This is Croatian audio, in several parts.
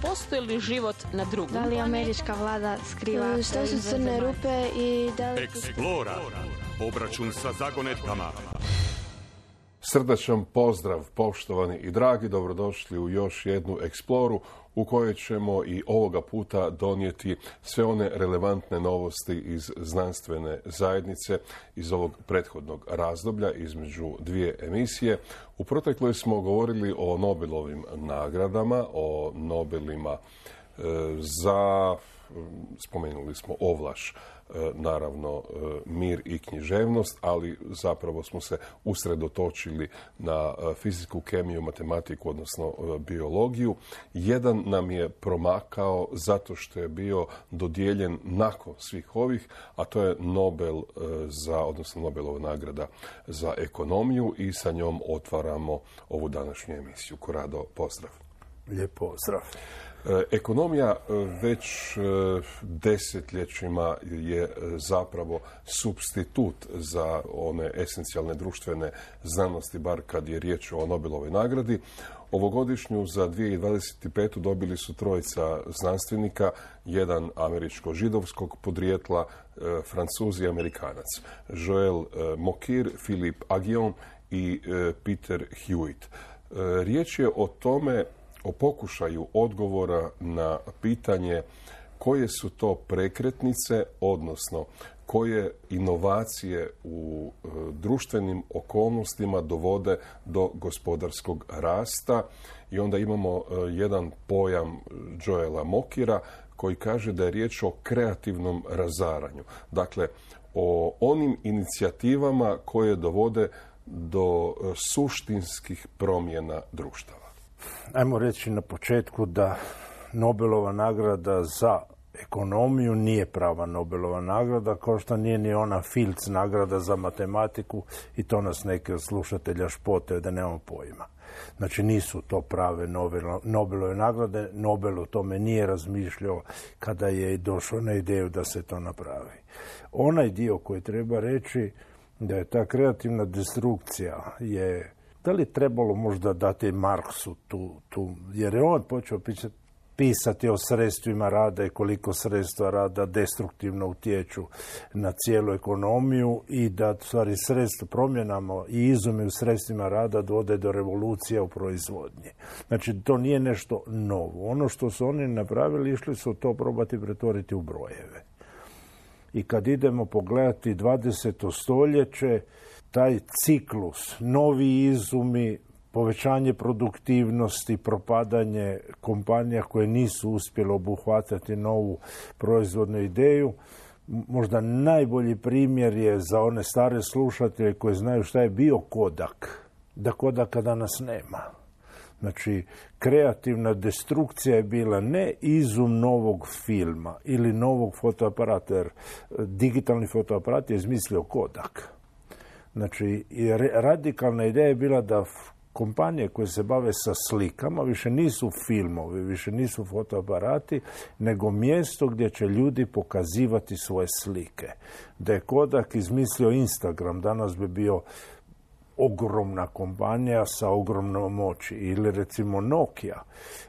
postoji li život na drugom Da li američka vlada skriva šta su crne rupe i da li... Explora. Obračun sa zagonetkama. Srdačan pozdrav, poštovani i dragi, dobrodošli u još jednu Eksploru u kojoj ćemo i ovoga puta donijeti sve one relevantne novosti iz znanstvene zajednice iz ovog prethodnog razdoblja između dvije emisije. U protekloj smo govorili o Nobelovim nagradama, o Nobelima spomenuli smo ovlaš, naravno mir i književnost, ali zapravo smo se usredotočili na fiziku, kemiju, matematiku, odnosno biologiju. Jedan nam je promakao zato što je bio dodijeljen nakon svih ovih, a to je odnosno Nobelova nagrada za ekonomiju i sa njom otvaramo ovu današnju emisiju. Korado, pozdrav. Lijep pozdrav. Ekonomija već desetljećima je zapravo supstitut za one esencijalne društvene znanosti, bar kad je riječ o Nobelovoj nagradi. Ovogodišnju za 2025. dobili su trojica znanstvenika, jedan američko-židovskog podrijetla, Francuz i Amerikanac. Joel Mokyr, Philippe Aghion i Peter Hewitt. Riječ je o tome, o pokušaju odgovora na pitanje koje su to prekretnice, odnosno koje inovacije u društvenim okolnostima dovode do gospodarskog rasta. I onda imamo jedan pojam Joela Mokyra koji kaže da je riječ o kreativnom razaranju. Dakle, o onim inicijativama koje dovode do suštinskih promjena društava. Ajmo reći na početku da Nobelova nagrada za ekonomiju nije prava Nobelova nagrada, kao što nije ni ona Fields nagrada za matematiku, i to nas neki od slušatelja špote da nemamo pojma. Znači nisu to prave Nobelove nagrade. Nobel o tome nije razmišljao kada je došao na ideju da se to napravi. Onaj dio koji treba reći da je ta kreativna destrukcija je... Da li trebalo možda dati Marksu tu, jer je on počeo pisati o sredstvima rada i koliko sredstva rada destruktivno utječu na cijelu ekonomiju i da stvari sredstva promjenama i izumi u sredstvima rada dovode do revolucija u proizvodnji. Znači to nije nešto novo. Ono što su oni napravili, išli su to probati pretvoriti u brojeve. I kad idemo pogledati 20. stoljeće, taj ciklus, novi izumi, povećanje produktivnosti, propadanje kompanija koje nisu uspjele obuhvatati novu proizvodnu ideju. Možda najbolji primjer je za one stare slušatelje koji znaju šta je bio Kodak. Da Kodaka danas nema. Znači, kreativna destrukcija je bila ne izum novog filma ili novog fotoaparata, jer digitalni fotoaparat je izmislio Kodak. Znači, radikalna ideja je bila da kompanije koje se bave sa slikama više nisu filmovi, više nisu fotoaparati, nego mjesto gdje će ljudi pokazivati svoje slike. Da je Kodak izmislio Instagram, danas bi bio ogromna kompanija sa ogromnom moći. Ili recimo Nokia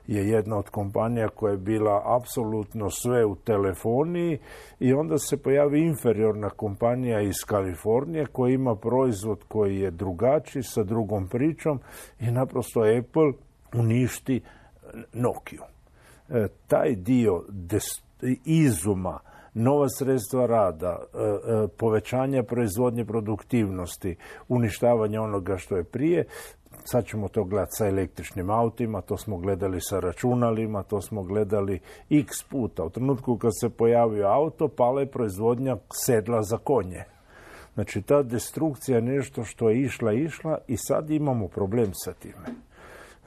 je jedna od kompanija koja je bila apsolutno sve u telefoniji i onda se pojavi inferiorna kompanija iz Kalifornije koja ima proizvod koji je drugačiji sa drugom pričom i naprosto Apple uništi Nokiju. Taj dio izuma, nova sredstva rada, povećanje proizvodnje produktivnosti, uništavanje onoga što je prije. Sad ćemo to gledati sa električnim autima, to smo gledali sa računalima, to smo gledali x puta. U trenutku kad se pojavio auto, pala je proizvodnja sedla za konje. Znači ta destrukcija je nešto što je išla i sad imamo problem sa time.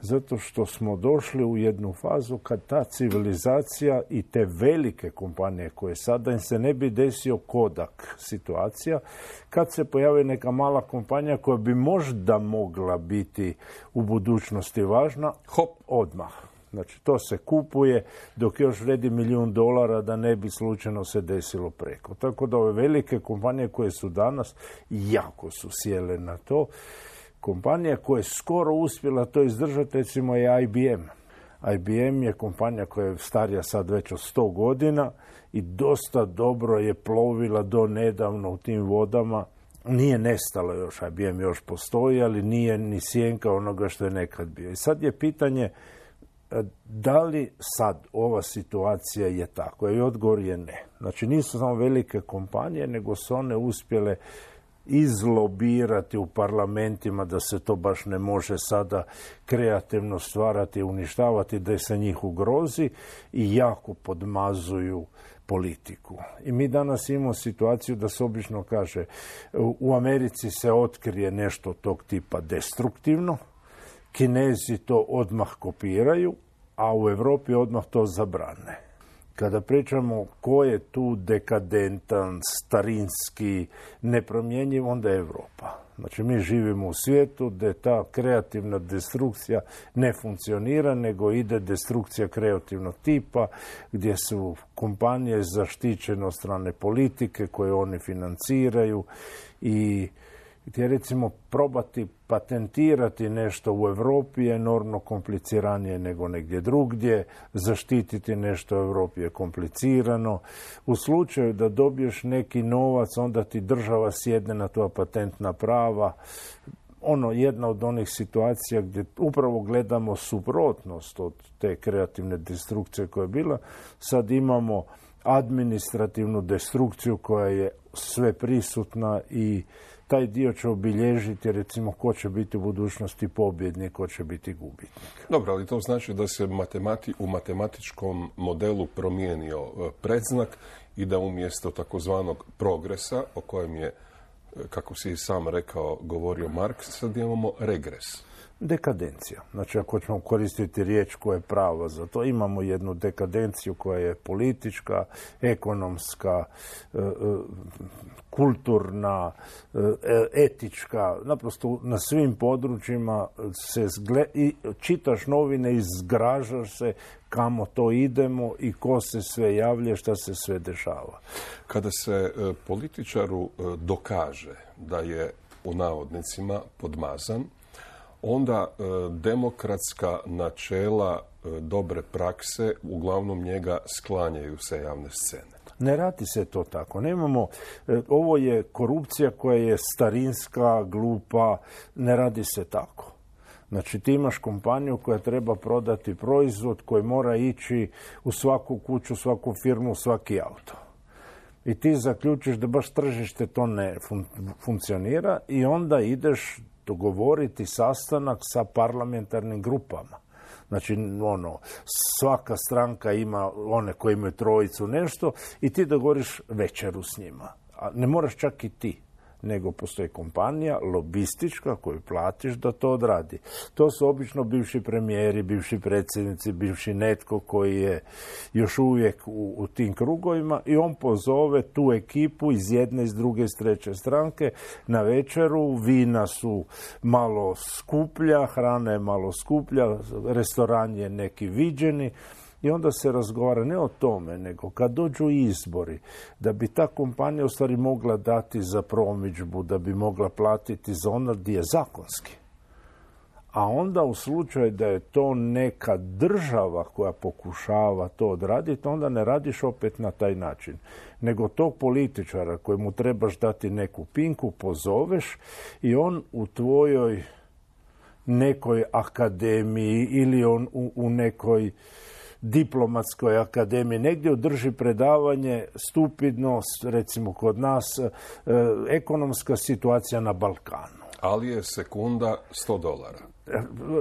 Zato što smo došli u jednu fazu kad ta civilizacija i te velike kompanije koje sada im se ne bi desio Kodak situacija, kad se pojavi neka mala kompanija koja bi možda mogla biti u budućnosti važna, hop, odmah. Znači, to se kupuje dok još vredi $1.000.000 da ne bi slučajno se desilo preko. Tako da ove velike kompanije koje su danas jako su sjele na to. Kompanija koja je skoro uspjela to izdržati, recimo, je IBM. IBM je kompanija koja je starija sad već od 100 godina i dosta dobro je plovila do nedavno u tim vodama. Nije nestalo još, IBM još postoji, ali nije ni sjenka onoga što je nekad bio. I sad je pitanje da li sad ova situacija je tako? I odgovor je ne. Znači nisu samo velike kompanije, nego su one uspjele izlobirati u parlamentima da se to baš ne može sada kreativno stvarati i uništavati, da se njih ugrozi i jako podmazuju politiku. I mi danas imamo situaciju da se obično kaže u Americi se otkrije nešto tog tipa destruktivno, Kinezi to odmah kopiraju, a u Europi odmah to zabrane. Kada pričamo ko je tu dekadentan, starinski, nepromjenjiv, onda je Europa. Znači mi živimo u svijetu gdje ta kreativna destrukcija ne funkcionira, nego ide destrukcija kreativnog tipa, gdje su kompanije zaštićene od strane politike koje oni financiraju i gdje recimo probati patentirati nešto u Europi je enormno kompliciranije nego negdje drugdje, zaštititi nešto u Europi je komplicirano. U slučaju da dobiješ neki novac, onda ti država sjedne na tvoja patentna prava. Jedna od onih situacija gdje upravo gledamo suprotnost od te kreativne destrukcije koja je bila. Sad imamo administrativnu destrukciju koja je sve prisutna i taj dio će obilježiti, recimo, ko će biti u budućnosti pobjednik, ko će biti gubitnik. Dobro, ali to znači da se u matematičkom modelu promijenio predznak i da umjesto takozvanog progresa, o kojem je, kako si i sam rekao, govorio Marks, sad imamo regres. Dekadencija. Znači, ako ćemo koristiti riječ koja je prava za to, imamo jednu dekadenciju koja je politička, ekonomska, kulturna, etička, naprosto na svim područjima se i čitaš novine i zgražaš se kamo to idemo i ko se sve javlja, šta se sve dešava. Kada se političaru dokaže da je u navodnicima podmazan, onda demokratska načela dobre prakse uglavnom njega sklanjaju sa javne scene. Ne radi se to tako. Ovo je korupcija koja je starinska, glupa, ne radi se tako. Znači ti imaš kompaniju koja treba prodati proizvod koji mora ići u svaku kuću, svaku firmu, svaki auto. I ti zaključiš da baš tržište to ne funkcionira i onda ideš dogovoriti sastanak sa parlamentarnim grupama. Znači, svaka stranka ima one koji imaju trojicu nešto i ti dogovoriš večeru s njima. A ne moraš čak i ti, nego postoji kompanija lobistička koju platiš da to odradi. To su obično bivši premijeri, bivši predsjednici, bivši netko koji je još uvijek u tim krugovima i on pozove tu ekipu iz jedne, iz druge, iz treće stranke na večeru. Vina su malo skuplja, hrana je malo skuplja, restoran je neki viđeni. I onda se razgovara ne o tome, nego kad dođu izbori, da bi ta kompanija u stvari mogla dati za promidžbu, da bi mogla platiti za ono gdje je zakonski. A onda u slučaju da je to neka država koja pokušava to odraditi, onda ne radiš opet na taj način. Nego tog političara kojemu trebaš dati neku pinku, pozoveš i on u tvojoj nekoj akademiji ili on u nekoj diplomatskoj akademiji negdje održi predavanje stupidno, recimo kod nas, ekonomska situacija na Balkanu. Ali je sekunda $100.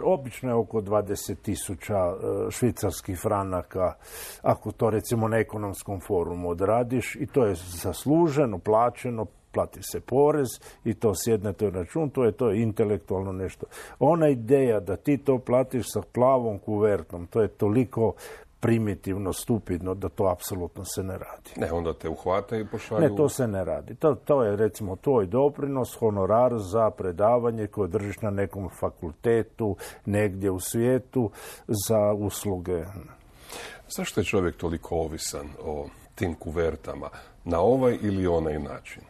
Obično je oko 20.000 švicarskih franaka, ako to recimo na ekonomskom forumu odradiš i to je zasluženo, plaćeno, plati se porez i to sjednete u račun, to je intelektualno nešto. Ona ideja da ti to platiš sa plavom kuvertom, to je toliko primitivno, stupidno, da to apsolutno se ne radi. Ne, onda te uhvate i pošalju... Ne, to se ne radi. To je recimo tvoj doprinos, honorar za predavanje koje držiš na nekom fakultetu, negdje u svijetu, za usluge. Zašto je čovjek toliko ovisan o tim kuvertama na ovaj ili onaj način?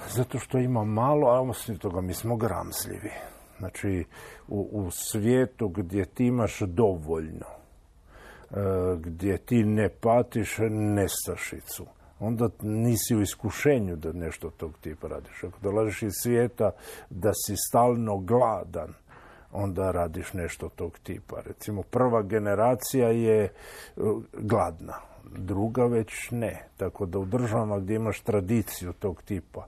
Zato što ima malo, a osim toga mi smo gramzljivi. Znači, u svijetu gdje ti imaš dovoljno, gdje ti ne patiš nestašicu, onda nisi u iskušenju da nešto tog tipa radiš. Ako dolaziš iz svijeta da si stalno gladan, onda radiš nešto tog tipa. Recimo, prva generacija je gladna, druga već ne. Tako da u državama gdje imaš tradiciju tog tipa,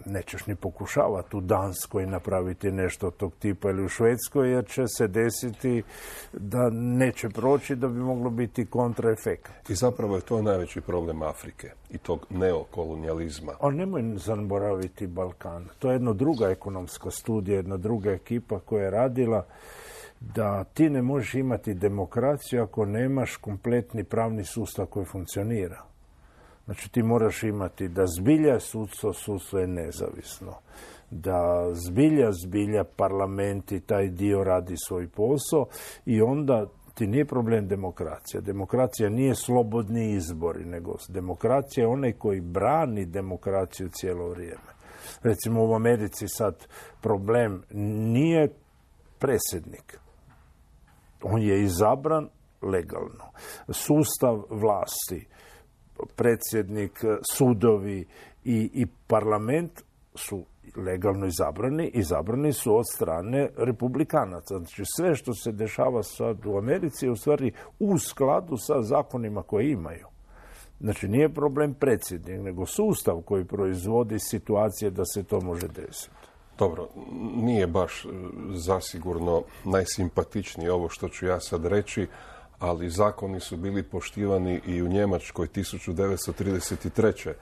nećeš ni pokušavati u Danskoj napraviti nešto tog tipa ili u Švedskoj, jer će se desiti da neće proći, da bi moglo biti kontraefekt. I zapravo je to najveći problem Afrike i tog neokolonijalizma. Ali nemoj zaboraviti Balkan. To je jedna druga ekonomska studija, jedna druga ekipa koja je radila da ti ne možeš imati demokraciju ako nemaš kompletni pravni sustav koji funkcionira. Znači, ti moraš imati da zbilja sudstvo je nezavisno, da zbilja parlament i taj dio radi svoj posao i onda ti nije problem demokracija. Demokracija nije slobodni izbori, nego demokracija je onaj koji brani demokraciju cijelo vrijeme. Recimo, u Americi sad problem nije predsjednik. On je izabran legalno. Sustav vlasti, predsjednik, sudovi i parlament su legalno izabrani su od strane republikanaca. Znači, sve što se dešava sad u Americi je u stvari u skladu sa zakonima koje imaju. Znači, nije problem predsjednik, nego sustav koji proizvodi situacije da se to može desiti. Dobro, nije baš zasigurno najsimpatičnije ovo što ću ja sad reći, ali zakoni su bili poštivani i u Njemačkoj 1933.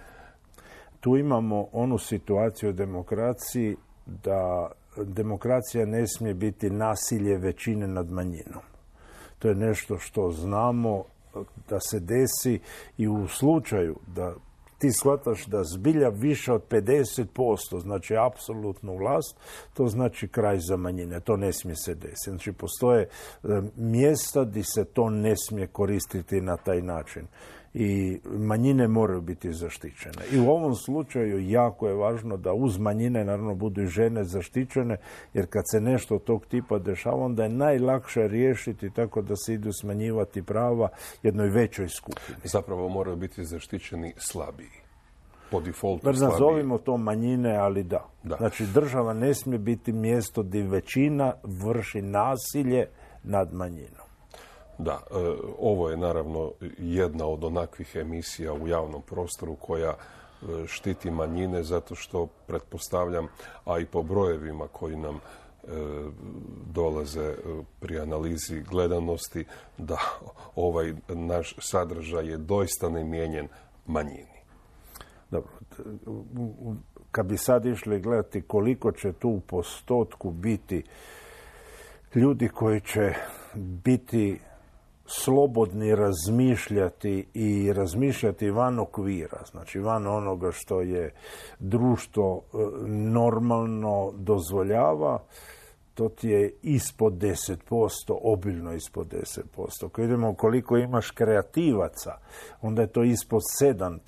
Tu imamo onu situaciju u demokraciji da demokracija ne smije biti nasilje većine nad manjinom. To je nešto što znamo da se desi i u slučaju da ti shvataš da zbilja više od 50%, znači apsolutnu vlast, to znači kraj za manjine. To ne smije se desiti. Znači, postoje mjesta gdje se to ne smije koristiti na taj način. I manjine moraju biti zaštićene. I u ovom slučaju jako je važno da uz manjine naravno budu i žene zaštićene, jer kad se nešto tog tipa dešava, onda je najlakše riješiti tako da se idu smanjivati prava jednoj većoj skupini. Zapravo moraju biti zaštićeni slabiji. Po defaultu slabiji. Nazovimo to manjine, ali da. Znači, država ne smije biti mjesto gdje većina vrši nasilje nad manjinom. Da, ovo je naravno jedna od onakvih emisija u javnom prostoru koja štiti manjine, zato što pretpostavljam, a i po brojevima koji nam dolaze pri analizi gledanosti, da ovaj naš sadržaj je doista namijenjen manjini. Dobro, kad bi sad išli gledati koliko će tu u postotku biti ljudi koji će biti slobodni razmišljati i razmišljati van okvira, znači van onoga što je društvo normalno dozvoljava, to ti je ispod 10%, obiljno ispod 10%. Kad idemo koliko imaš kreativaca, onda je to ispod 7%.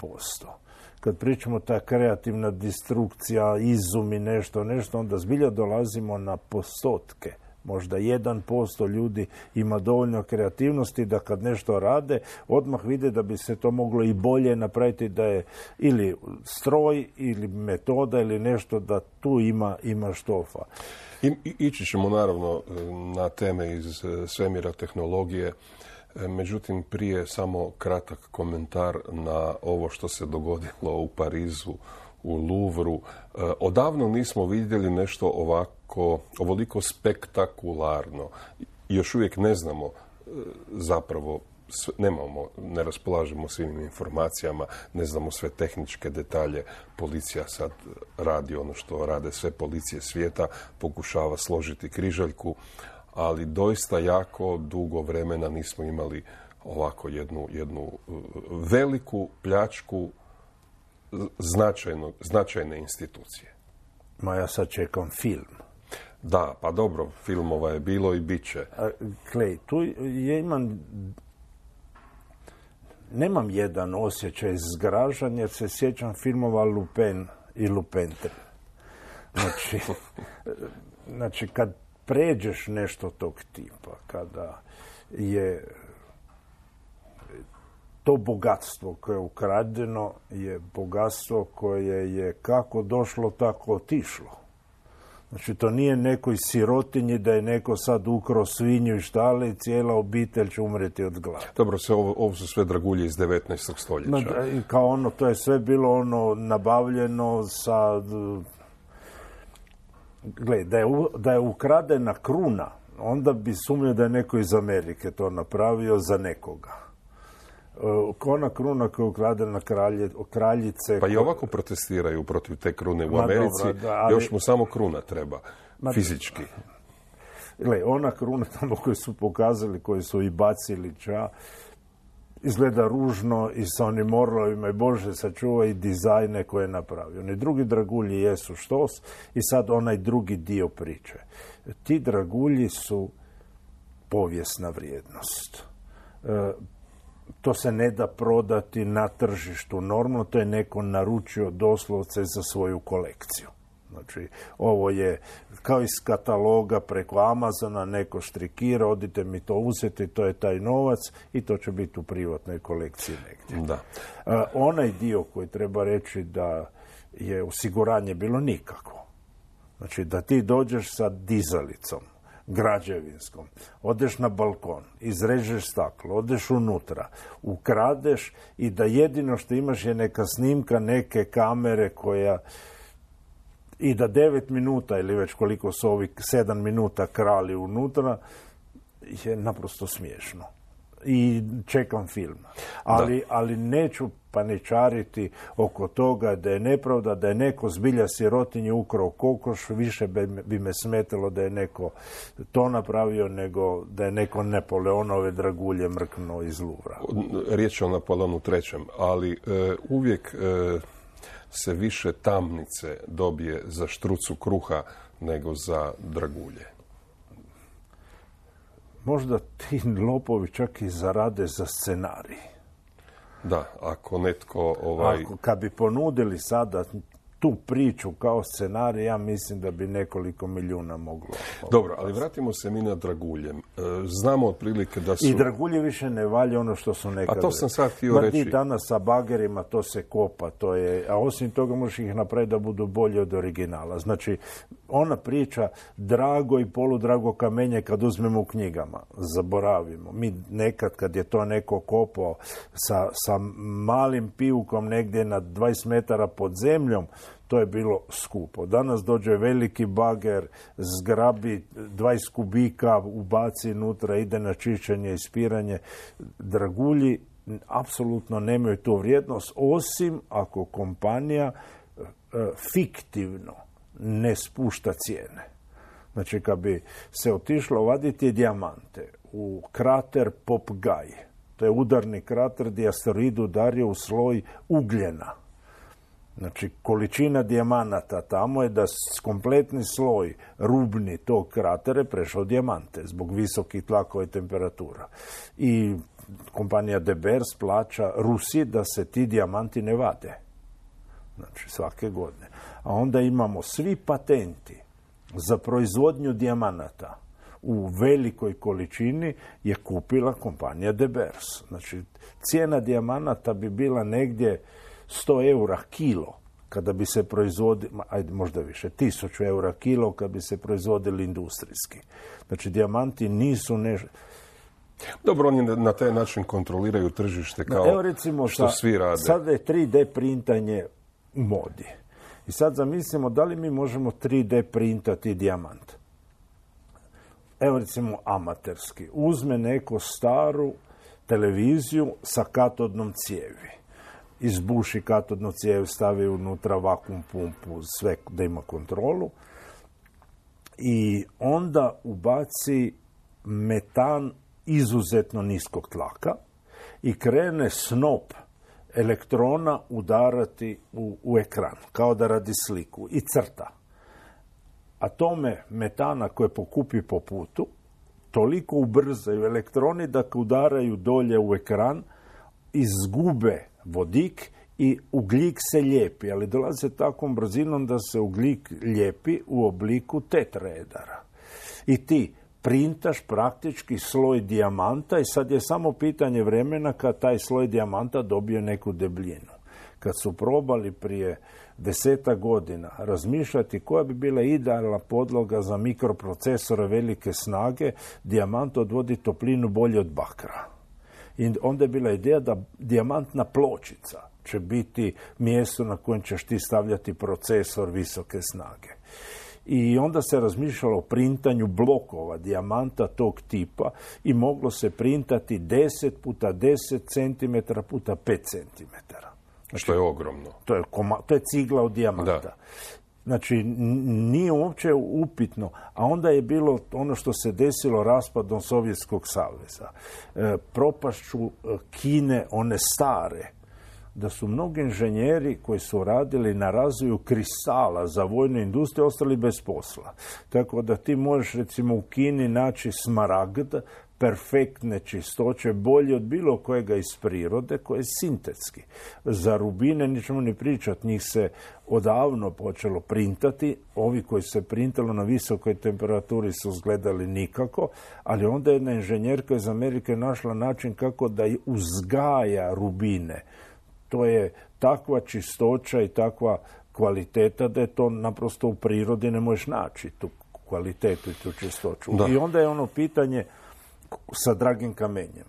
Kad pričamo ta kreativna destrukcija, izum i nešto, onda zbilja dolazimo na postotke. Možda 1% ljudi ima dovoljno kreativnosti da kad nešto rade, odmah vide da bi se to moglo i bolje napraviti, da je ili stroj ili metoda ili nešto, da tu ima štofa. Ići ćemo naravno na teme iz svemira tehnologije, međutim prije samo kratak komentar na ovo što se dogodilo u Parizu, u Louvru. Odavno nismo vidjeli nešto ovoliko spektakularno. Još uvijek ne znamo zapravo, ne raspolažemo svim informacijama, ne znamo sve tehničke detalje. Policija sad radi ono što rade sve policije svijeta, pokušava složiti križaljku, ali doista jako dugo vremena nismo imali ovako jednu veliku pljačku značajne institucije. Ma ja sad čekam film. Da, pa dobro, filmova je bilo i bit će. Klej, tu nemam jedan osjećaj zgražanja, jer se sjećam filmova Lupin i Lupin. Znači, znači, kad pređeš nešto tog tipa, kada je to bogatstvo koje je ukradeno je bogatstvo koje je kako došlo, tako otišlo. Znači, to nije nekoj sirotinji da je neko sad ukrao svinju i štale i cijela obitelj će umreti od gladi. Dobro, ovo su sve dragulje iz 19. stoljeća. I kao ono, to je sve bilo ono nabavljeno sa... Gle, da je ukradena kruna, onda bi sumnio da je neko iz Amerike to napravio za nekoga. Ona kruna koja je ukradena kraljice... Pa i ovako protestiraju protiv te krune u Americi. Dobro, ali... Još mu samo kruna treba, fizički. Gle, ona kruna tamo koju su pokazali, koju su i bacili izgleda ružno i sa onim orlovima i Bože sačuva i dizajne koje je napravio. Oni drugi dragulji jesu štos i sad onaj drugi dio priče. Ti dragulji su povijesna vrijednost. To se ne da prodati na tržištu. Normalno to je neko naručio doslovce za svoju kolekciju. Znači, ovo je kao iz kataloga preko Amazona, neko štrikira, odite mi to uzeti, to je taj novac i to će biti u privatnoj kolekciji negdje. Da. Onaj dio koji treba reći da je osiguranje bilo nikakvo. Znači, da ti dođeš sa dizalicom, građevinskom, odeš na balkon, izrežeš staklo, odeš unutra, ukradeš i da jedino što imaš je neka snimka neke kamere koja i da 9 minuta ili već koliko su ovih 7 minuta krali unutra je naprosto smiješno. I čekam film. Ali neću paničariti oko toga da je nepravda, da je neko zbilja sirotinji ukrao kokoš, više bi me smetalo da je neko to napravio nego da je neko Napoleonove dragulje mrknuo iz Luvra. Riječ je o Napoleonu III, ali uvijek se više tamnice dobije za štrucu kruha nego za dragulje. Možda ti lopovi čak i zarade za scenarij. Da, ako netko... Kad bi ponudili sada tu priču kao scenarij, ja mislim da bi nekoliko milijuna moglo... Dobro, ali vratimo se mi na dragulje. Znamo otprilike da su... I dragulje više ne valje ono što su nekada... A to sam sad htio reći. Ti danas sa bagerima to se kopa, to je... A osim toga možeš ih napraviti da budu bolje od originala. Znači, ona priča drago i poludrago kamenje kad uzmemo u knjigama, zaboravimo. Mi nekad kad je to neko kopao sa malim pijukom negdje na 20 metara pod zemljom, to je bilo skupo. Danas dođe veliki bager, zgrabi 20 kubika, ubaci unutra, ide na čišćenje i spiranje. Dragulji apsolutno nemaju tu vrijednost, osim ako kompanija fiktivno ne spušta cijene. Znači, kad bi se otišlo vaditi dijamante u krater Popgaj, to je udarni krater gdje asteroid udario u sloj ugljena. Znači, količina dijamanata tamo je da kompletni sloj rubni tog kratera prešao dijamante zbog visokih tlakova i temperatura. I kompanija De Beers plaća Rusiji da se ti dijamanti ne vade. Znači, svake godine. A onda imamo svi patenti za proizvodnju dijamanata u velikoj količini je kupila kompanija De Beers. Znači, cijena dijamanata bi bila negdje 100 eura kilo kada bi se proizvodili, ajde možda više, 1000 eura kilo kada bi se proizvodili industrijski. Znači, dijamanti nisu nešto... Dobro, oni na taj način kontroliraju tržište kao evo recimo, što svi rade. Sada je 3D printanje u modi. I sad zamislimo da li mi možemo 3D printati dijamant. Evo recimo amaterski. Uzme neko staru televiziju sa katodnom cijevi. Izbuši katodnu cijev, stavi unutra vakuum pumpu, sve da ima kontrolu. I onda ubaci metan izuzetno niskog tlaka i krene snop elektrona udarati u ekran, kao da radi sliku i crta. Atome metana koje pokupi po putu toliko ubrzaju elektroni da udaraju dolje u ekran, izgube vodik i ugljik se lijepi, ali dolazi takvom brzinom da se ugljik lijepi u obliku tetraedara. I ti printaš praktički sloj dijamanta i sad je samo pitanje vremena kad taj sloj dijamanta dobije neku debljinu. Kad su probali prije 10 godina razmišljati koja bi bila idealna podloga za mikroprocesore velike snage, dijamant odvodi toplinu bolje od bakra. I onda je bila ideja da dijamantna pločica će biti mjesto na kojem ćeš ti stavljati procesor visoke snage. I onda se razmišljalo o printanju blokova dijamanta tog tipa i moglo se printati 10 puta 10 cm puta 5 cm. Znači, što je ogromno. To je cigla od dijamanta. Da. Znači, nije uopće upitno. A onda je bilo ono što se desilo raspadom Sovjetskog saveza. Propašću Kine, one stare, da su mnogi inženjeri koji su radili na razvoju kristala za vojnu industriju ostali bez posla. Tako da ti možeš recimo u Kini naći smaragd perfektne čistoće, bolje od bilo kojega iz prirode, koji je sintetski. Za rubine nećemo ni pričati, njih se odavno počelo printati. Ovi koji se printalo na visokoj temperaturi su izgledali nikako, ali onda je jedna inženjerka iz Amerike našla način kako da uzgaja rubine. To je takva čistoća i takva kvaliteta da je to naprosto u prirodi ne možeš naći, tu kvalitetu i tu čistoću. Da. I onda je ono pitanje sa dragim kamenjem.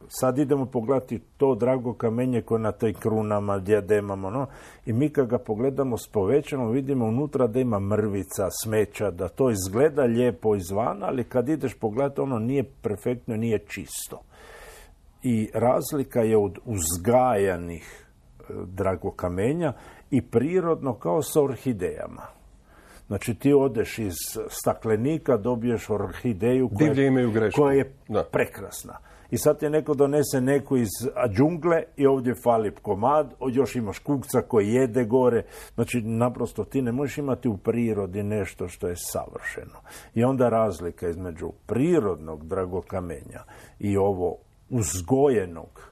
Sad idemo pogledati to drago kamenje koje na toj krunama, dijademama, no? I mi kad ga pogledamo s povećanom, vidimo unutra da ima mrvica, smeća, da to izgleda lijepo izvana, ali kad ideš pogledati, ono nije perfektno, nije čisto. I razlika je od uzgajanih dragokamenja i prirodno kao sa orhidejama. Znači ti odeš iz staklenika, dobiješ orhideju koja je prekrasna. I sad ti neko donese neku iz džungle i ovdje fali komad, još imaš kukca koji jede gore. Znači naprosto ti ne možeš imati u prirodi nešto što je savršeno. I onda razlika između prirodnog dragokamenja i ovo uzgojenog,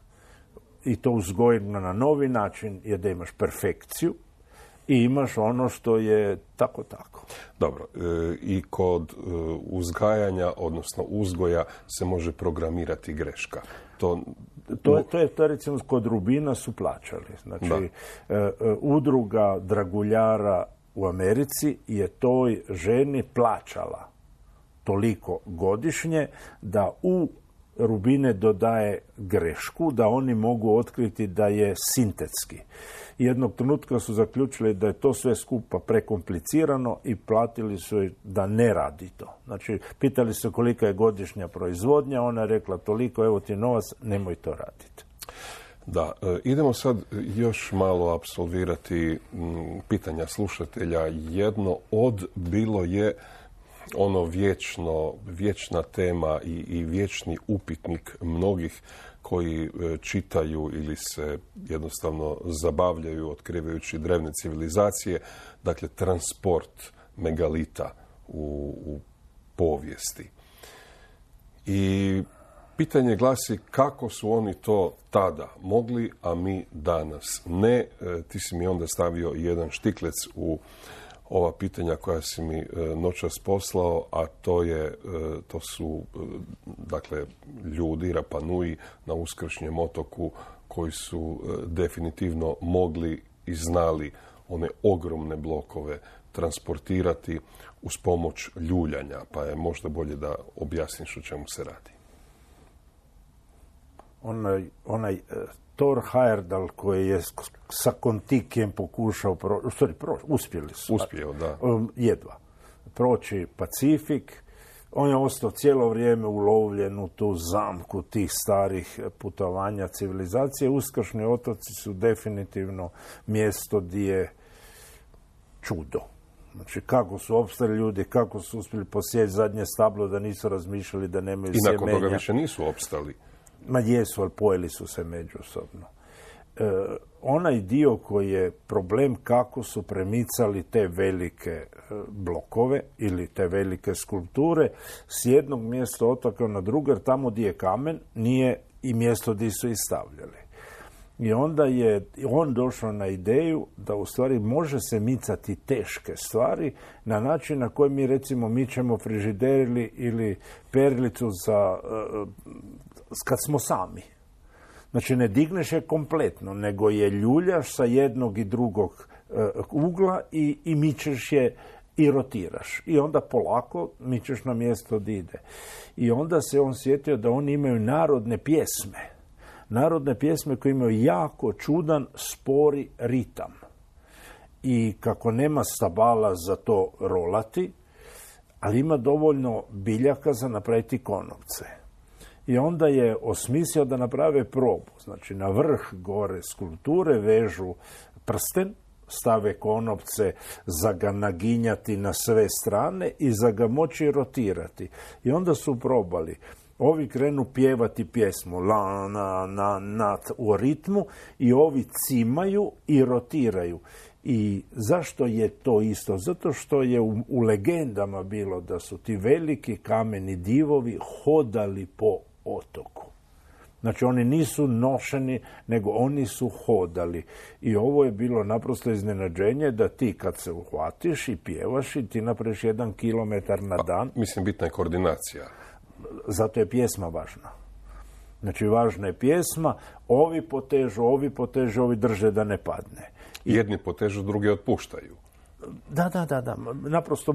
i to uzgojeno na novi način, je da imaš perfekciju i imaš ono što je tako. Dobro, i kod uzgajanja, odnosno uzgoja, se može programirati greška. To je recimo kod rubina su plaćali. Znači, udruga draguljara u Americi je toj ženi plaćala toliko godišnje da u rubine dodaje grešku, da oni mogu otkriti da je sintetski. Jednog trenutka su zaključili da je to sve skupa prekomplicirano i platili su joj da ne radi to. Znači, pitali su kolika je godišnja proizvodnja, ona je rekla toliko, evo ti novac, nemoj to raditi. Da, idemo sad još malo apsolvirati pitanja slušatelja. Jedno od bilo je ono vječna tema i vječni upitnik mnogih koji čitaju ili se jednostavno zabavljaju otkrivajući drevne civilizacije, dakle transport megalita u povijesti. I pitanje glasi kako su oni to tada mogli, a mi danas ne. Ti si mi onda stavio jedan štiklec u ova pitanja koja si mi noćas poslao, a to su dakle ljudi, Rapa Nui na Uskršnjem otoku koji su definitivno mogli i znali one ogromne blokove transportirati uz pomoć ljuljanja, pa je možda bolje da objasniš o čemu se radi. Onaj Thor Heyerdahl koji je sa Kontikijem pokušao uspjeli su. Uspio, da. Jedva. Proći Pacifik. On je ostao cijelo vrijeme ulovljen u tu zamku tih starih putovanja civilizacije. Uskršni otoci su definitivno mjesto gdje je čudo. Znači, kako su opstali ljudi, kako su uspjeli posjeći zadnje stablo da nisu razmišljali da nemaju sjemenja. I nakon toga više nisu opstali. Ma jesu, ali pojeli su se međusobno. Onaj dio koji je problem kako su premicali te velike blokove ili te velike skulpture s jednog mjesta otoka na drugo, jer tamo gdje je kamen nije i mjesto gdje su ih stavljali. I onda je on došao na ideju da u stvari može se micati teške stvari na način na koji mi recimo mičemo frižider ili perilicu kad smo sami. Znači ne digneš je kompletno, nego je ljuljaš sa jednog i drugog ugla i mičeš je i rotiraš. I onda polako mičeš na mjesto da ide. I onda se on sjetio da oni imaju narodne pjesme. Narodne pjesme koje imaju jako čudan, spori ritam. I kako nema stabala za to rolati, ali ima dovoljno biljaka za napraviti konopce. I onda je osmislio da naprave probu. Znači, na vrh gore skulpture vežu prsten, stave konopce za ga naginjati na sve strane i za ga moći rotirati. I onda su probali. Ovi krenu pjevati pjesmu la, na, u ritmu i ovi cimaju i rotiraju. I zašto je to isto? Zato što je u legendama bilo da su ti veliki kameni divovi hodali po otoku. Znači oni nisu nošeni, nego oni su hodali. I ovo je bilo naprosto iznenađenje da ti kad se uhvatiš i pjevaš i ti napraviš 1 kilometar na dan. Mislim, bitna je koordinacija. Zato je pjesma važna. Znači važna je pjesma, ovi potežu, ovi drže da ne padne. Jedni potežu, drugi otpuštaju. Da. Naprosto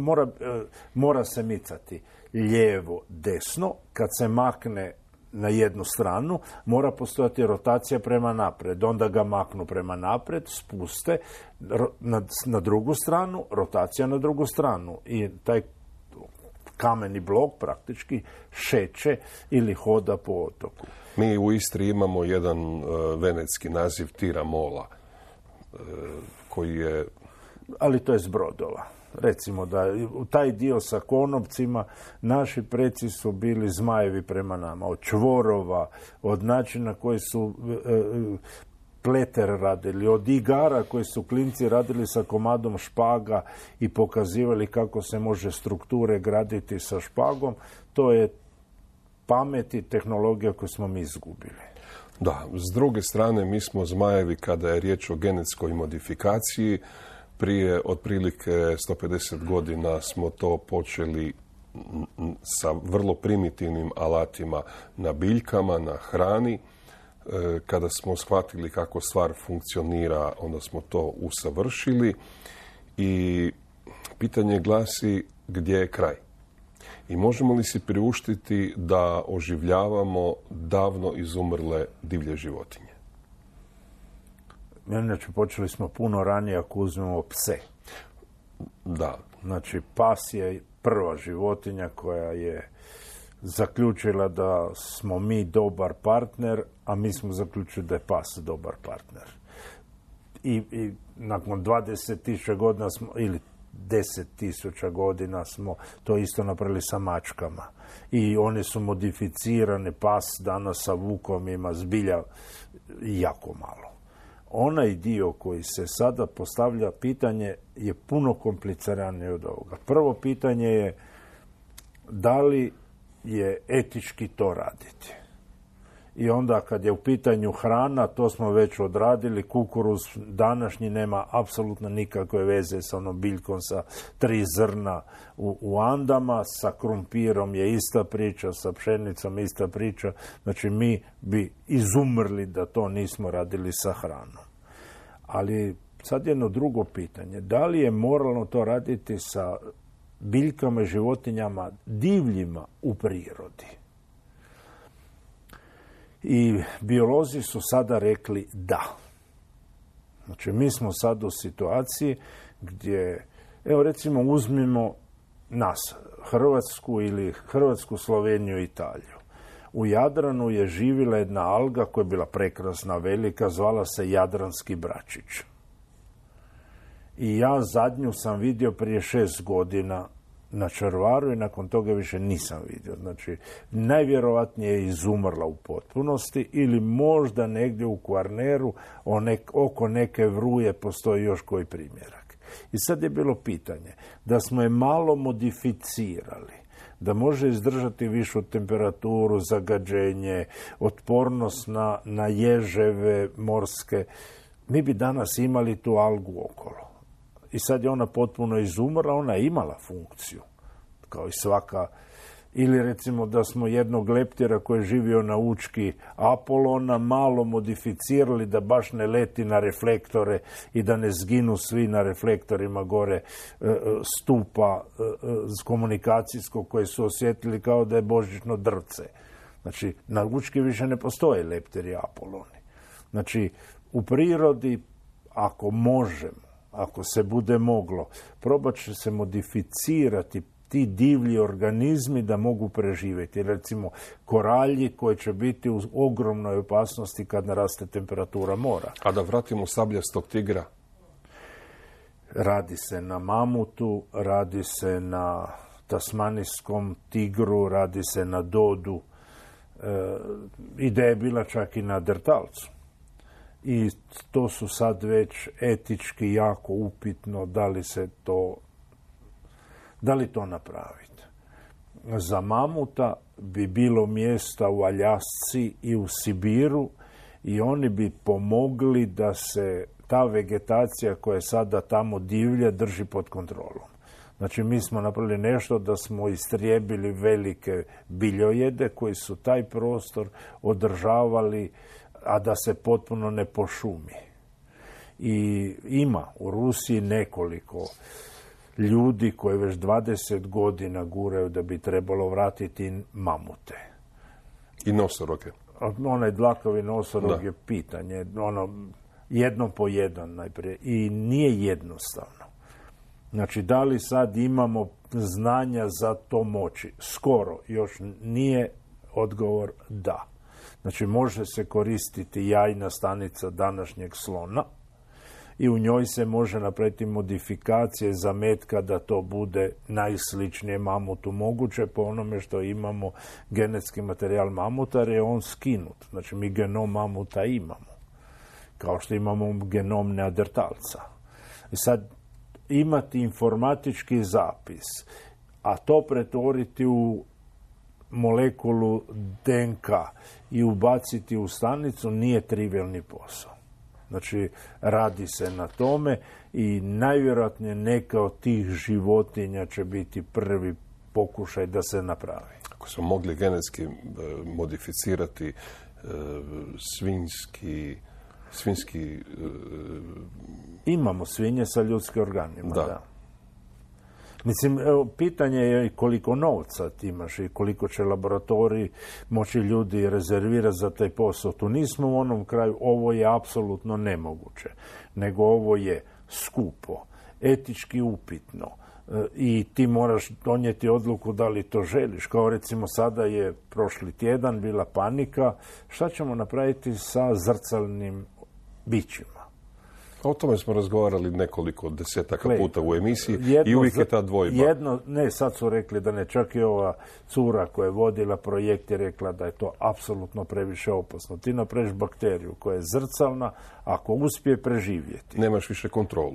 mora se micati lijevo, desno. Kad se makne na jednu stranu, mora postojati rotacija prema napred. Onda ga maknu prema napred, spuste na drugu stranu, rotacija na drugu stranu. I taj kameni blok praktički šeće ili hoda po otoku. Mi u Istri imamo jedan venetski naziv Tiramola, koji je... Ali to je s brodova. Recimo da u taj dio sa konopcima naši preci su bili zmajevi prema nama. Od čvorova, od načina koji su pleter radili, od igara koji su klinci radili sa komadom špaga i pokazivali kako se može strukture graditi sa špagom. To je pamet i tehnologija koju smo mi izgubili. Da, s druge strane mi smo zmajevi kada je riječ o genetskoj modifikaciji. Prije otprilike 150 godina smo to počeli sa vrlo primitivnim alatima na biljkama, na hrani. Kada smo shvatili kako stvar funkcionira, onda smo to usavršili i pitanje glasi gdje je kraj. I možemo li si priuštiti da oživljavamo davno izumrle divlje životinje? Inače, počeli smo puno ranije ako uzmemo pse. Da. Znači, pas je prva životinja koja je zaključila da smo mi dobar partner, a mi smo zaključili da je pas dobar partner. I nakon 20.000 godina smo, ili 10.000 godina smo to isto napravili sa mačkama. I one su modificirane, pas danas sa vukom ima zbilja jako malo. Onaj dio koji se sada postavlja pitanje je puno kompliciranije od ovoga. Prvo pitanje je da li je etički to raditi. I onda kad je u pitanju hrana, to smo već odradili, kukuruz današnji nema apsolutno nikakve veze sa onom biljkom sa 3 zrna u Andama, sa krumpirom je ista priča, sa pšenicom ista priča, znači mi bi izumrli da to nismo radili sa hranom. Ali sad jedno drugo pitanje, da li je moralno to raditi sa biljkama i životinjama divljima u prirodi? I biolozi su sada rekli da. Znači, mi smo sad u situaciji gdje, evo recimo uzmimo nas, Hrvatsku ili Hrvatsku, Sloveniju i Italiju. U Jadranu je živjela jedna alga koja je bila prekrasna, velika, zvala se jadranski bračić. I ja zadnju sam vidio prije 6 godina na Črvaru i nakon toga više nisam vidio. Znači, najvjerovatnije je izumrla u potpunosti ili možda negdje u Kvarneru oko neke vruje postoji još koji primjerak. I sad je bilo pitanje da smo je malo modificirali, da može izdržati višu temperaturu, zagađenje, otpornost na ježeve morske, mi bi danas imali tu algu okolo. I sad je ona potpuno izumrla, ona je imala funkciju, kao i svaka. Ili recimo da smo jednog leptira koji je živio na učki Apolona malo modificirali da baš ne leti na reflektore i da ne zginu svi na reflektorima gore stupa komunikacijskog koje su osjetili kao da je božićno drvce. Znači, na učki više ne postoje leptiri Apoloni. Znači, u prirodi, ako možemo, ako se bude moglo, probat će se modificirati ti divlji organizmi da mogu preživjeti. Recimo, koralji koji će biti u ogromnoj opasnosti kad naraste temperatura mora. A da vratimo sabljastog tigra? Radi se na mamutu, radi se na tasmanijskom tigru, radi se na dodu. Ideja je bila čak i na drtalcu. I to su sad već etički jako upitno da li to napraviti. Za mamuta bi bilo mjesta u Aljasci i u Sibiru i oni bi pomogli da se ta vegetacija koja je sada tamo divlja drži pod kontrolom. Znači, mi smo napravili nešto da smo istrijebili velike biljojede koji su taj prostor održavali, a da se potpuno ne pošumi. I ima u Rusiji nekoliko ljudi koji već 20 godina guraju da bi trebalo vratiti mamute. I nosoroge. Onaj dlakovi nosorog je pitanje. Jedno po jedan najprije. I nije jednostavno. Znači, da li sad imamo znanja za to moći? Skoro. Još nije odgovor da. Znači, može se koristiti jajna stanica današnjeg slona i u njoj se može napraviti modifikacije zametka da to bude najsličnije mamutu moguće po onome što imamo genetski materijal mamuta, jer je on skinut. Znači, mi genom mamuta imamo, kao što imamo genom neandertalca. I sad, imati informatički zapis, a to pretvoriti u molekulu DNK i ubaciti u stanicu nije trivijalni posao. Znači, radi se na tome i najvjerojatnije neka od tih životinja će biti prvi pokušaj da se napravi. Ako smo mogli genetski modificirati svinjski... Imamo svinje sa ljudskim organima, da. Mislim, evo, pitanje je koliko novca ti imaš i koliko će laboratoriji moći ljudi rezervirati za taj posao. Tu nismo u onom kraju, ovo je apsolutno nemoguće, nego ovo je skupo, etički upitno i ti moraš donijeti odluku da li to želiš. Kao recimo sada je prošli tjedan bila panika, šta ćemo napraviti sa zrcalnim bićima? O tome smo razgovarali nekoliko desetaka puta u emisiji i uvijek je ta dvojba. Sad su rekli da ne, čak i ova cura koja je vodila projekt je rekla da je to apsolutno previše opasno. Ti napraviš bakteriju koja je zrcalna, ako uspije preživjeti. Nemaš više kontrolu.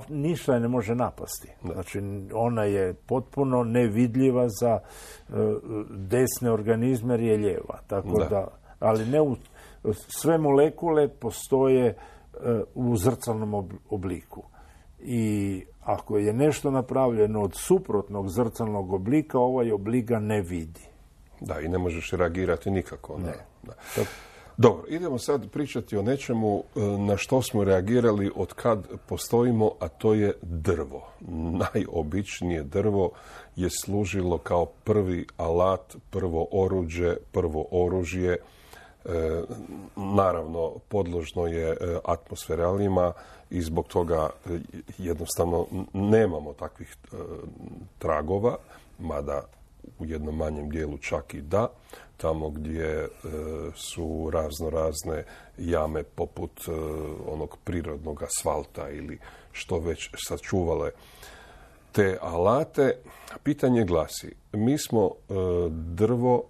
Ništa je ne može napasti. Da. Znači, ona je potpuno nevidljiva za desne organizme jer je lijeva. Tako da, ali sve molekule postoje u zrcalnom obliku. I ako je nešto napravljeno od suprotnog zrcalnog oblika, ovaj oblik ga ne vidi. Da, i ne možeš reagirati nikako. Ne. Da. Dobro, idemo sad pričati o nečemu na što smo reagirali od kad postojimo, a to je drvo. Najobičnije drvo je služilo kao prvi alat, prvo oruđe, prvo oružje. Naravno, podložno je atmosferalima i zbog toga jednostavno nemamo takvih tragova, mada u jednom manjem dijelu čak i da, tamo gdje su razne jame poput onog prirodnog asfalta ili što već sačuvale te alate. Pitanje glasi, mi smo drvo,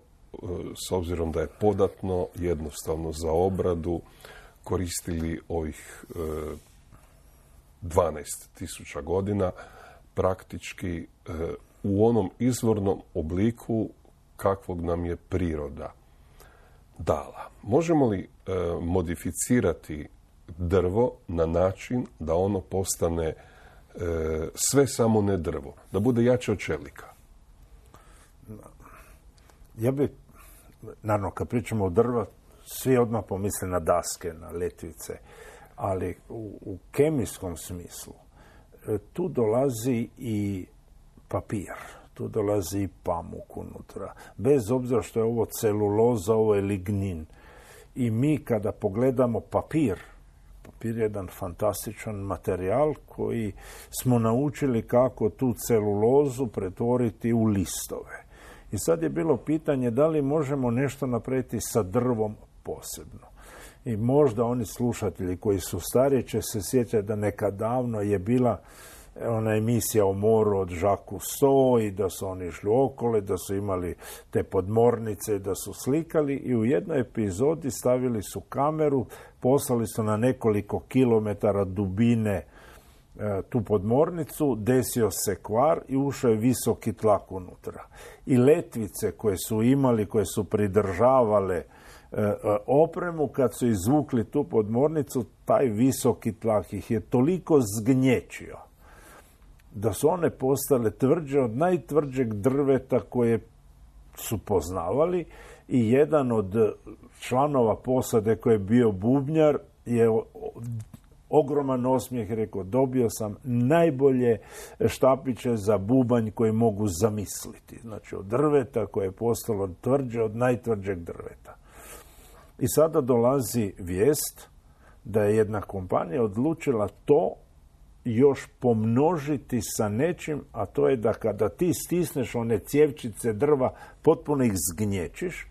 s obzirom da je podatno, jednostavno za obradu, koristili ovih 12.000 godina praktički u onom izvornom obliku kakvog nam je priroda dala. Možemo li modificirati drvo na način da ono postane sve samo ne drvo, da bude jače od čelika? Ja bih, naravno, kad pričamo o drva, svi odmah pomisle na daske, na letvice, ali u kemijskom smislu tu dolazi i papir, tu dolazi i pamuk unutra. Bez obzira što je ovo celuloza, ovo je lignin. I mi kada pogledamo papir je jedan fantastičan materijal koji smo naučili kako tu celulozu pretvoriti u listove. I sad je bilo pitanje da li možemo nešto napraviti sa drvom posebno. I možda oni slušatelji koji su stariji će se sjećati da nekad davno je bila ona emisija o moru od Jacques Cousteau i da su oni išli okolo, da su imali te podmornice, da su slikali i u jednoj epizodi stavili su kameru, poslali su na nekoliko kilometara dubine tu podmornicu, desio se kvar i ušao je visoki tlak unutra. I letvice koje su imali, koje su pridržavale opremu, kad su izvukli tu podmornicu, taj visoki tlak ih je toliko zgnječio da su one postale tvrđe od najtvrđeg drveta koje su poznavali i jedan od članova posade koji je bio bubnjar je ogroman osmijeh rekao, dobio sam najbolje štapiće za bubanj koji mogu zamisliti. Znači od drveta koje je postalo tvrđe od najtvrđeg drveta. I sada dolazi vijest da je jedna kompanija odlučila to još pomnožiti sa nečim, a to je da kada ti stisneš one cjevčice drva, potpuno ih zgnječiš,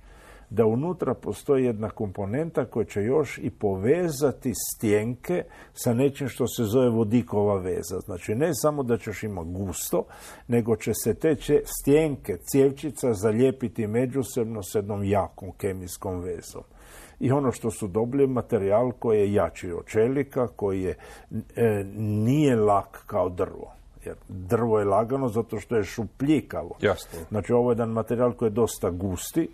da unutra postoji jedna komponenta koja će još i povezati stjenke sa nečim što se zove vodikova veza. Znači ne samo da ćeš imati gusto, nego će se te stjenke cjevčica zalijepiti međusobno s jednom jakom kemijskom vezom. I ono što su dobili materijal koji je jači od čelika, koji nije lak kao drvo. Jer drvo je lagano zato što je šupljikavo. Jasno. Znači ovo je jedan materijal koji je dosta gusti,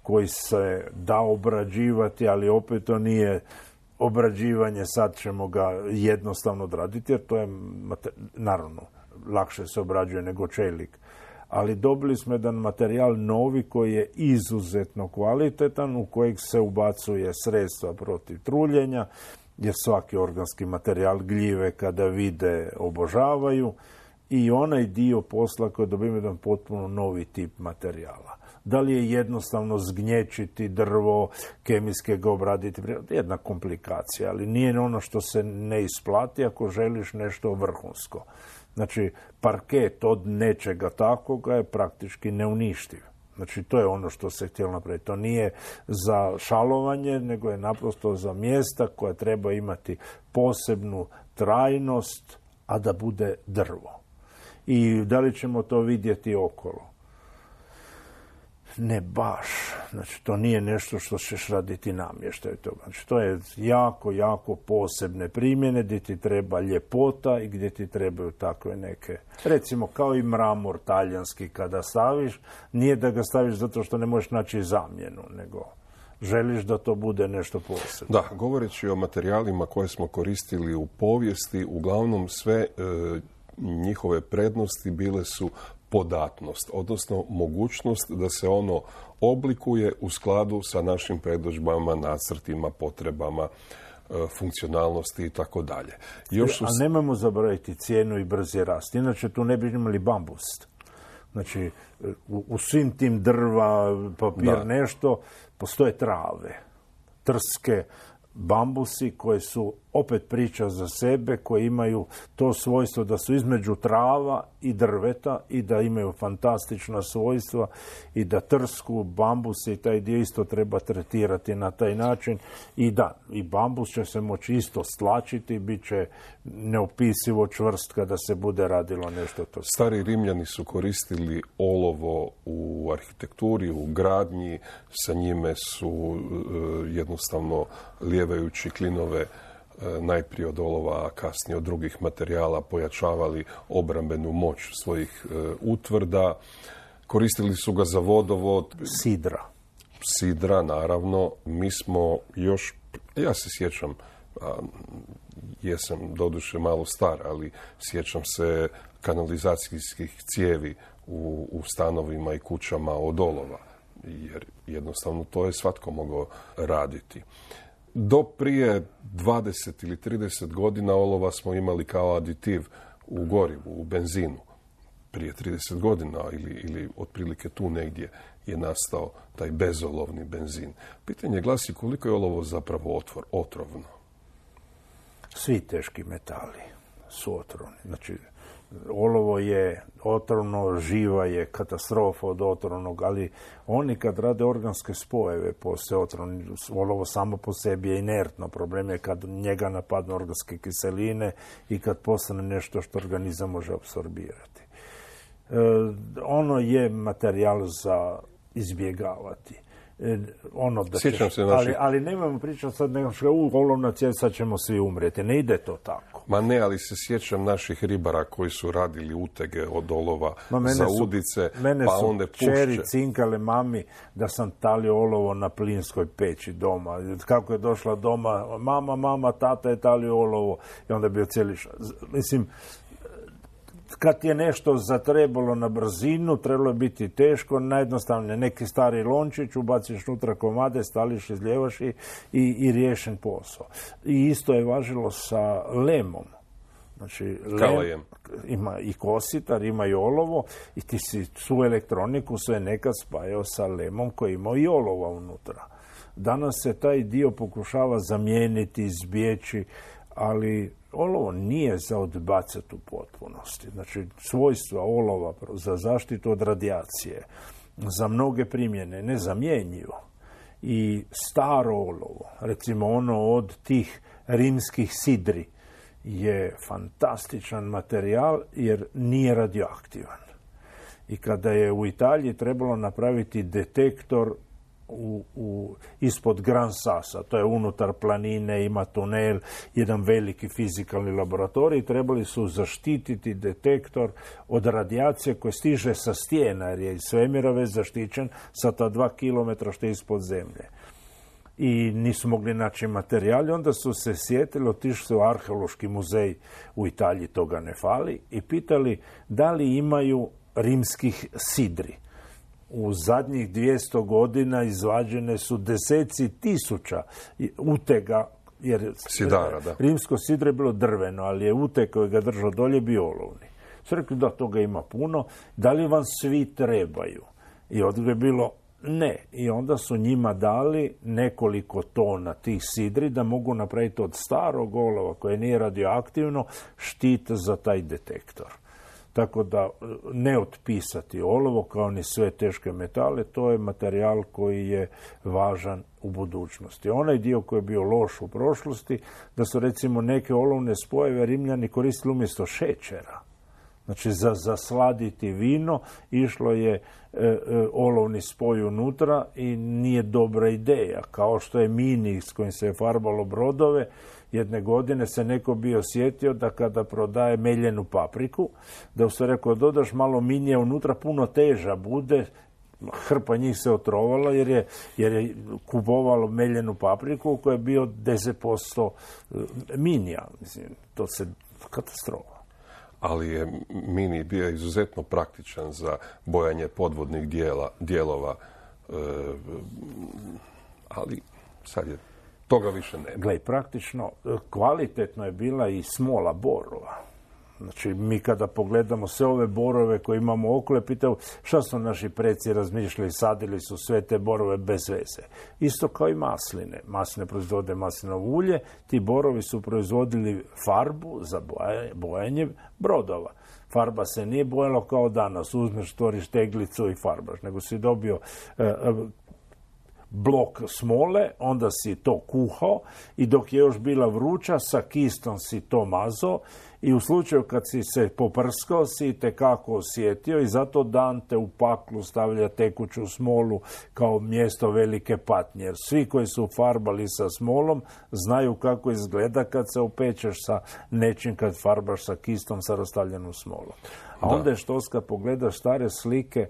koji se da obrađivati, ali opet to nije obrađivanje, sad ćemo ga jednostavno odraditi, jer to je, naravno, lakše se obrađuje nego čelik. Ali dobili smo jedan materijal novi koji je izuzetno kvalitetan, u kojeg se ubacuje sredstva protiv truljenja, jer svaki organski materijal gljive kada vide obožavaju, i onaj dio posla koji dobimo jedan potpuno novi tip materijala. Da li je jednostavno zgnječiti drvo, kemijske ga obraditi, jedna komplikacija, ali nije ono što se ne isplati ako želiš nešto vrhunsko. Znači, parket od nečega takoga je praktički neuništiv. Znači, to je ono što se htjelo napraviti. To nije za šalovanje, nego je naprosto za mjesta koja treba imati posebnu trajnost, a da bude drvo. I da li ćemo to vidjeti okolo? Ne baš. Znači, to nije nešto što ćeš raditi namještaj toga. Znači, to je jako, jako posebne primjene gdje ti treba ljepota i gdje ti trebaju takve neke, recimo kao i mramor talijanski kada staviš, nije da ga staviš zato što ne možeš naći zamjenu, nego želiš da to bude nešto posebno. Da, govoreći o materijalima koje smo koristili u povijesti, uglavnom sve njihove prednosti bile su podatnost, odnosno mogućnost da se ono oblikuje u skladu sa našim predodžbama, nacrtima, potrebama, funkcionalnosti i tako dalje. Ali nemojmo zaboraviti cijenu i brzi rast. Inače tu ne bi imali bambus. Znači, u svim tim drva, papir, nešto, postoje trave, trske, bambusi koji su opet priča za sebe, koji imaju to svojstvo da su između trava i drveta i da imaju fantastična svojstva i da trsku, bambuse i taj dio isto treba tretirati na taj način. I da, i bambus će se moći isto stlačiti, bit će neopisivo čvrst kada se bude radilo nešto to. Stari Rimljani su koristili olovo u arhitekturi, u gradnji, sa njime su jednostavno lijevajući klinove najprije od olova, a kasnije od drugih materijala pojačavali obrambenu moć svojih utvrda. Koristili su ga za vodovod. Sidra, naravno. Mi smo još, ja se sjećam, jesam doduše malo star, ali sjećam se kanalizacijskih cijevi u stanovima i kućama od olova, jer jednostavno to je svatko mogao raditi. Do prije 20 ili 30 godina olova smo imali kao aditiv u gorivu, u benzinu. Prije 30 godina ili otprilike tu negdje je nastao taj bezolovni benzin. Pitanje glasi koliko je olovo zapravo otrovno? Svi teški metali su otrovni. Znači, olovo je otrovno, živa je katastrofa od otrovnog, ali oni kad rade organske spojeve postoje otrovni. Olovo samo po sebi je inertno. Problem je kad njega napadnu organske kiseline i kad postane nešto što organizam može apsorbirati. Ono je materijal za izbjegavati. Sjećam se ali nemojmo pričati sad olovna cijev, sad ćemo svi umrijeti. Ne ide to tako. Ma ne, ali se sjećam naših ribara koji su radili utege od olova za udice, pa onda pušće. Mene su kćeri cinkale mami da sam talio olovo na plinskoj peći doma. Kako je došla doma, mama, tata je talio olovo. I onda je bio cijeli mislim, kad je nešto zatrebalo na brzinu, trebalo je biti teško, najjednostavnije neki stari lončić, ubaciš unutra komade, stališ, izljevaš i riješen posao. I isto je važilo sa lemom. Znači, lem ima i kositar, ima i olovo i ti si svu elektroniku sve nekad spajao sa lemom koji ima i olova unutra. Danas se taj dio pokušava zamijeniti, izbjeći, ali olovo nije za odbacati u potpunosti. Znači, svojstva olova za zaštitu od radijacije, za mnoge primjene nezamjenjivo. I staro olovo, recimo ono od tih rimskih sidri, je fantastičan materijal jer nije radioaktivan. I kada je u Italiji trebalo napraviti detektor ispod Gran Sassa, to je unutar planine, ima tunel, jedan veliki fizikalni laboratorij, trebali su zaštititi detektor od radijacije koja stiže sa stijena, jer je iz svemira već zaštićen sa ta 2 kilometra što je ispod zemlje. I nisu mogli naći materijali, onda su se sjetili, otišli su u arheološki muzej u Italiji, toga ne fali, i pitali da li imaju rimskih sidri. U zadnjih 200 godina izvađene su deseci tisuća utega, jer sidara, da. Rimsko sidro je bilo drveno, ali je uteg koji ga držao dolje bio olovni. Su rekli da toga ima puno, da li vam svi trebaju? I odgovor je bilo ne. I onda su njima dali nekoliko tona tih sidri da mogu napraviti od starog olova koje nije radioaktivno štit za taj detektor. Tako da ne otpisati olovo kao ni sve teške metale, to je materijal koji je važan u budućnosti. Onaj dio koji je bio loš u prošlosti, da su recimo neke olovne spojeve Rimljani koristili umjesto šećera. Znači za zasladiti vino išlo je olovni spoj unutra i nije dobra ideja. Kao što je mini s kojim se je farbalo brodove, jedne godine se neko bio sjetio da kada prodaje meljenu papriku, da se rekao dodaš malo minije unutra, puno teža bude, hrpa njih se otrovala jer je kupovalo meljenu papriku koja je bio 10% minija. Mislim, to se katastrofa. Ali je mini bio izuzetno praktičan za bojanje podvodnih dijelova, ali sad je toga više nema. Gle, praktično, kvalitetno je bila i smola borova. Znači, mi kada pogledamo sve ove borove koje imamo okolo, pitaju šta su naši preci razmišljali, sadili su sve te borove bez veze. Isto kao i masline. Masline proizvode maslinovo ulje, ti borovi su proizvodili farbu za bojanje brodova. Farba se nije bojala kao danas, uzmeš, stvoriš teglicu i farbaš, nego si dobio blok smole, onda si to kuhao i dok je još bila vruća, sa kistom si to mazao i u slučaju kad si se poprskao si tekako osjetio i zato Dante u paklu stavlja tekuću smolu kao mjesto velike patnje. Jer svi koji su farbali sa smolom znaju kako izgleda kad se opečeš sa nečim, kad farbaš sa kistom sa rastavljenom smolom. A onda je štoska, pogledaš stare slike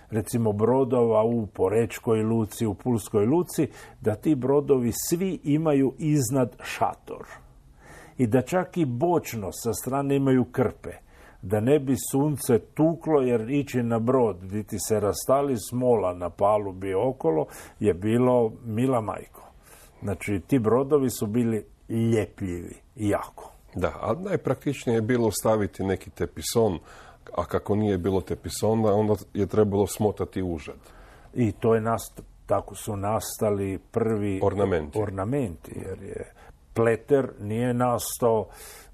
recimo brodova u Porečkoj luci, u Pulskoj luci, da ti brodovi svi imaju iznad šator. I da čak i bočno sa strane imaju krpe. Da ne bi sunce tuklo, jer ići na brod gdje ti se rastali smola na palubi okolo je bilo mila majko. Znači, ti brodovi su bili ljepljivi, jako. Da, a najpraktičnije je bilo staviti neki tepison, a kako nije bilo tepisona, onda je trebalo smotati užad. I to je tako su nastali prvi ornamenti, jer je pleter nije nastao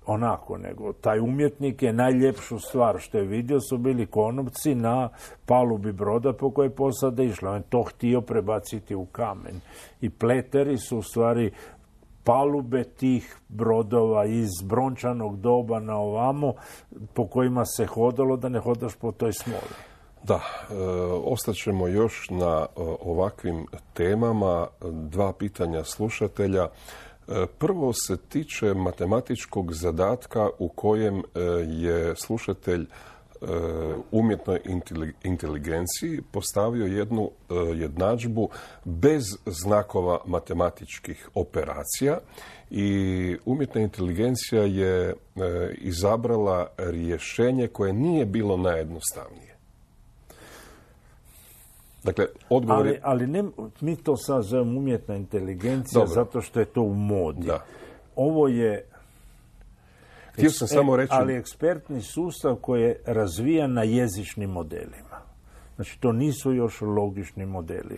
onako, nego taj umjetnik je najljepšu stvar što je vidio su bili konopci na palubi broda po kojoj posada išla. On je to htio prebaciti u kamen. I pleteri su u stvari palube tih brodova iz brončanog doba na ovamo po kojima se hodalo da ne hodaš po toj smoli. Da, ostaćemo još na ovakvim temama. Dva pitanja slušatelja. Prvo se tiče matematičkog zadatka u kojem je slušatelj umjetnoj inteligenciji postavio jednu jednadžbu bez znakova matematičkih operacija i umjetna inteligencija je izabrala rješenje koje nije bilo najjednostavnije. Dakle, odgovor je... Ali ne, mi to sad zovemo umjetna inteligencija. Dobro. Zato što je to u modi. Da. Ovo je htio sam samo reći... ali ekspertni sustav koji je razvijan na jezičnim modelima. Znači, to nisu još logični modeli.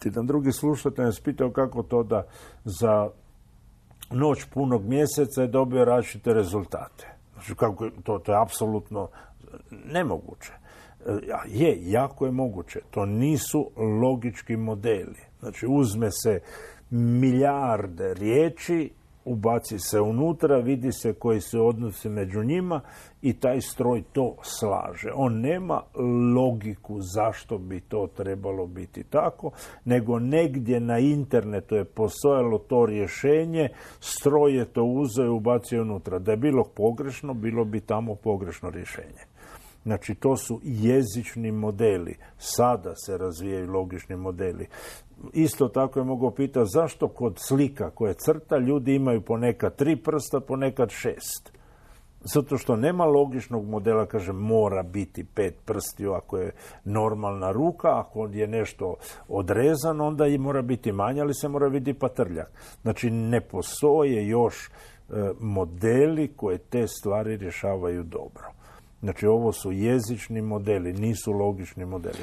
Jedan drugi slušatelj nas pitao kako to da za noć punog mjeseca je dobio različite rezultate. Znači, kako to je apsolutno nemoguće. Jako je moguće. To nisu logički modeli. Znači, uzme se milijarde riječi, ubaci se unutra, vidi se koji se odnosi među njima i taj stroj to slaže. On nema logiku zašto bi to trebalo biti tako, nego negdje na internetu je postojalo to rješenje, stroj je to uzeo i ubacio unutra. Da je bilo pogrešno, bilo bi tamo pogrešno rješenje. Znači, to su jezični modeli. Sada se razvijaju logični modeli. Isto tako je mogao pitati zašto kod slika koje crta ljudi imaju ponekad 3 prsta, ponekad 6. Zato što nema logičnog modela, kaže, mora biti 5 prstiju ako je normalna ruka, ako je nešto odrezano, onda i mora biti manje, ali se mora vidjeti patrljak. Znači, ne postoje još modeli koje te stvari rješavaju dobro. Znači, ovo su jezični modeli, nisu logični modeli.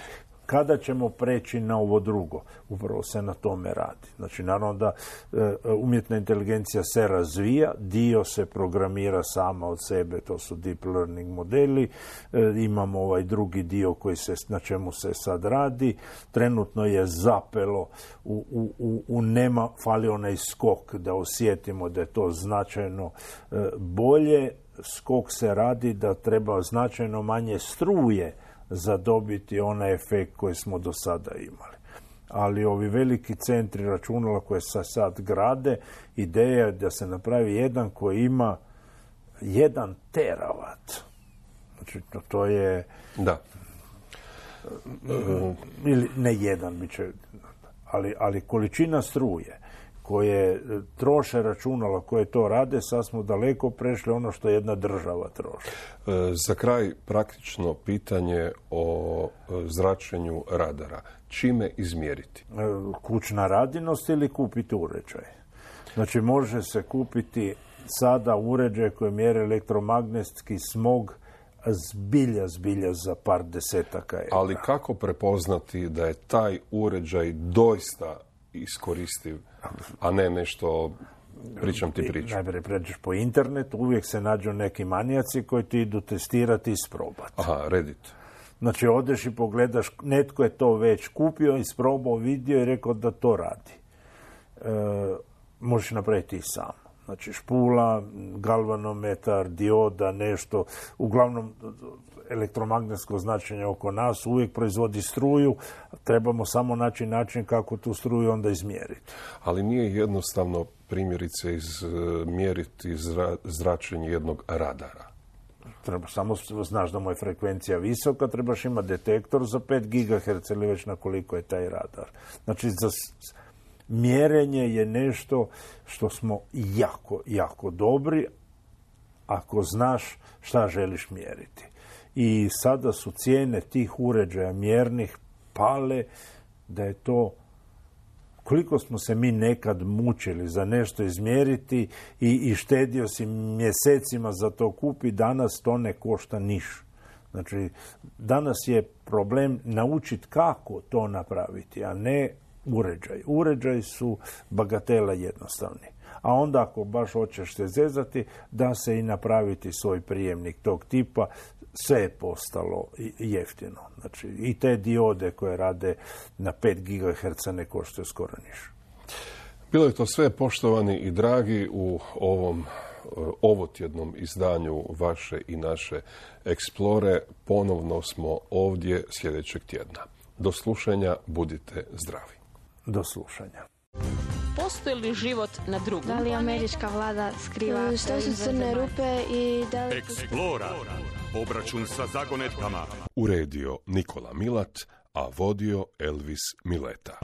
Kada ćemo preći na ovo drugo? Upravo se na tome radi. Znači, naravno da umjetna inteligencija se razvija, dio se programira sama od sebe, to su deep learning modeli. Imamo ovaj drugi dio na čemu se sad radi. Trenutno je zapelo u nema, fali onaj skok da osjetimo da je to značajno bolje. Skok se radi da treba značajno manje struje za dobiti onaj efekt koji smo do sada imali. Ali ovi veliki centri računala koje se sad grade, ideja je da se napravi jedan koji ima 1 teravat. Znači, to je... Da. Ili ne jedan, bit će, ali količina struje koje troše računala koje to rade, sad smo daleko prešli ono što jedna država troši. Za kraj praktično pitanje o zračenju radara. Čime izmjeriti? Kućna radinost ili kupiti uređaj. Znači, može se kupiti sada uređaj koji mjeri elektromagnetski smog zbilja za par desetaka evra. Ali kako prepoznati da je taj uređaj doista iskoristiv, a ne nešto pričam. Najprije pređeš po internetu, uvijek se nađu neki manijaci koji ti idu testirati i isprobati. Aha, Reddit. Znači, odeš i pogledaš, netko je to već kupio, isprobao, vidio i rekao da to radi. Možeš napraviti i sam. Znači, špula, galvanometar, dioda, nešto, uglavnom elektromagnetsko značenje oko nas uvijek proizvodi struju, trebamo samo naći način kako tu struju onda izmjeriti. Ali nije jednostavno primjerice izmjeriti zračenje jednog radara. Treba samo znaš da mu je frekvencija visoka, trebaš imati detektor za 5 GHz ili već na koliko je taj radar. Znači, za mjerenje je nešto što smo jako, jako dobri ako znaš šta želiš mjeriti. I sada su cijene tih uređaja mjernih pale da je to, koliko smo se mi nekad mučili za nešto izmjeriti i štedio si mjesecima za to kupi, danas to ne košta niš. Znači, danas je problem naučiti kako to napraviti, a ne uređaj. Uređaji su bagatela jednostavni. A onda ako baš hoćeš se zezati, da se i napraviti svoj prijemnik tog tipa, sve je postalo jeftino. Znači, i te diode koje rade na 5 GHz ne koštaju skoro niš. Bilo je to sve, poštovani i dragi, u ovom ovotjednom izdanju vaše i naše Explore. Ponovno smo ovdje sljedećeg tjedna. Do slušanja, budite zdravi. Do slušanja. Postoji li život na drugom? Da li američka vlada skriva Što su crne rupe i da li... Explora. Obračun sa zagonetkama. Uredio Nikola Milat, a vodio Elvis Mileta.